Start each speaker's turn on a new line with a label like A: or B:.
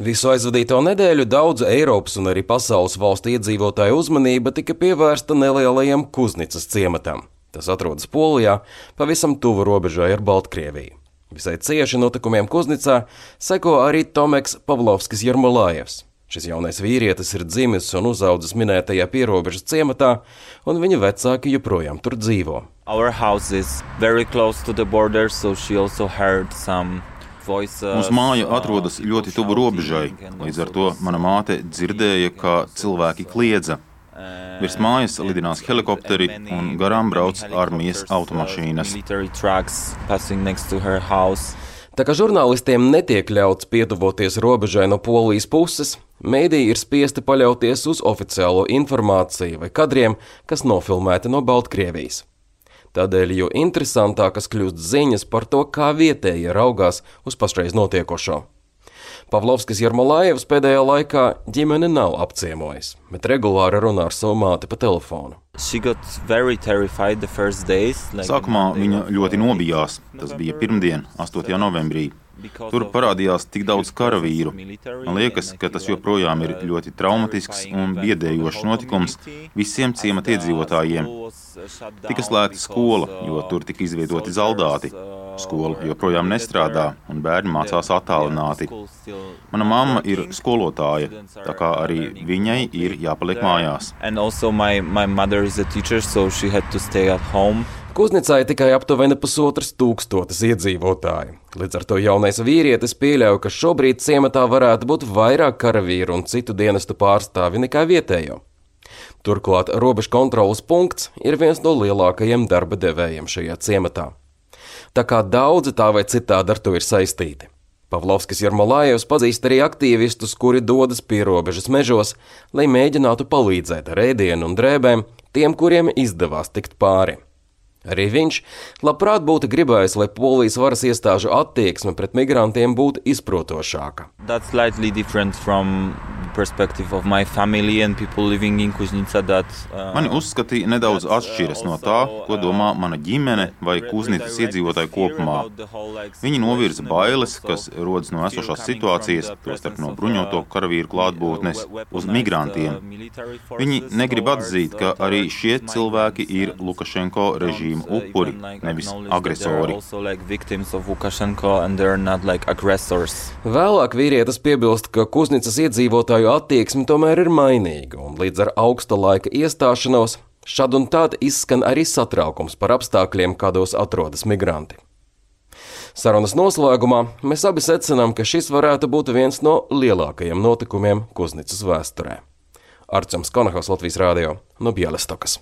A: Visu aizvadīto nedēļu daudzu Eiropas un arī pasaules valstu iedzīvotāju uzmanība tika pievērsta nelielajam Kuznicas ciematam. Tas atrodas Polijā, pavisam tuvu robežai ar Baltkrieviju. Visai cieši notikumiem Kuznicā seko arī Tomeks Pavlovskis Jermolājevs. Šis jaunais vīrietis ir dzimis un uzaudzis minētajā pierobežas ciematā, un viņa vecāki joprojām tur dzīvo.
B: Our house is very close to the border, so she also heard some voices.
C: Mūsu māja atrodas ļoti tuvu robežai, līdz ar to mana māte dzirdēja, kā cilvēki kliedza. Virs mājas lidinās helikopteri un garām brauc armijas automašīnas.
A: Tā kā žurnālistiem netiek ļauts pietuvoties robežai no Polijas puses, mēdīji ir spiesti paļauties uz oficiālo informāciju vai kadriem, kas nofilmēti no Baltkrievijas. Tādēļ jo interesantākas kļūst ziņas par to, kā vietējie raugās uz pašreiz notiekošo. Pavlovskis Jermolājevs pēdējā laikā ģimene nav apciemojis, bet regulāri runā ar savu māti pa telefonu.
C: Sākumā viņa ļoti nobijās. Tas bija pirmdien, 8. novembrī. Tur parādījās tik daudz karavīru. Man liekas, ka tas joprojām ir ļoti traumatisks un biedējošs notikums visiem ciemata iedzīvotājiem. Tika slēgta skola, jo tur tika izvietoti zaldāti. Skola joprojām nestrādā, un bērni mācās attālināti. Mana mamma ir skolotāja, tā kā arī viņai ir jāpaliek mājās.
A: Kuznicā ir tikai aptuveni 1500 iedzīvotāju. Līdz ar to jaunais vīrietis pieļauj, ka šobrīd ciematā varētu būt vairāk karavīru un citu dienestu pārstāvi nekā vietējo. Turklāt robežu kontroles punkts ir viens no lielākajiem darba devējiem šajā ciematā. Tā kā daudzi tā vai citādi ar to ir saistīti. Pavlovskis Jermolājevs pazīst arī aktīvistus, kuri dodas pierobežas mežos, lai mēģinātu palīdzēt ar ēdienu un drēbēm tiem, kuriem izdevās tikt pāri. Arī viņš labprāt būtu gribējis, lai Polijas varas iestāžu attieksme pret migrantiem būtu izprotošāka.
C: Mani uzskati nedaudz atšķiras no tā, ko domā mana ģimene vai Kuznicas iedzīvotāji kopumā. Viņi novirza bailes, kas rodas no esošās situācijas, tostarp no bruņoto karavīru klātbūtnes, uz migrantiem. Viņi negrib atzīt, ka arī šie cilvēki ir Lukašenko režīma upuri, nevis agresori.
A: Vēlāk vīrietis piebilst, ka Kuznicas iedzīvotāju attieksme tomēr ir mainīga, un līdz ar augsta laika iestāšanos šad un tād izskan arī satraukums par apstākļiem, kādos atrodas migranti. Sarunas noslēgumā mēs abi secinām, ka šis varētu būt viens no lielākajiem notikumiem Kuznicas vēsturē. Artjoms Konahaus, Latvijas Rādio, no Bjelestokas.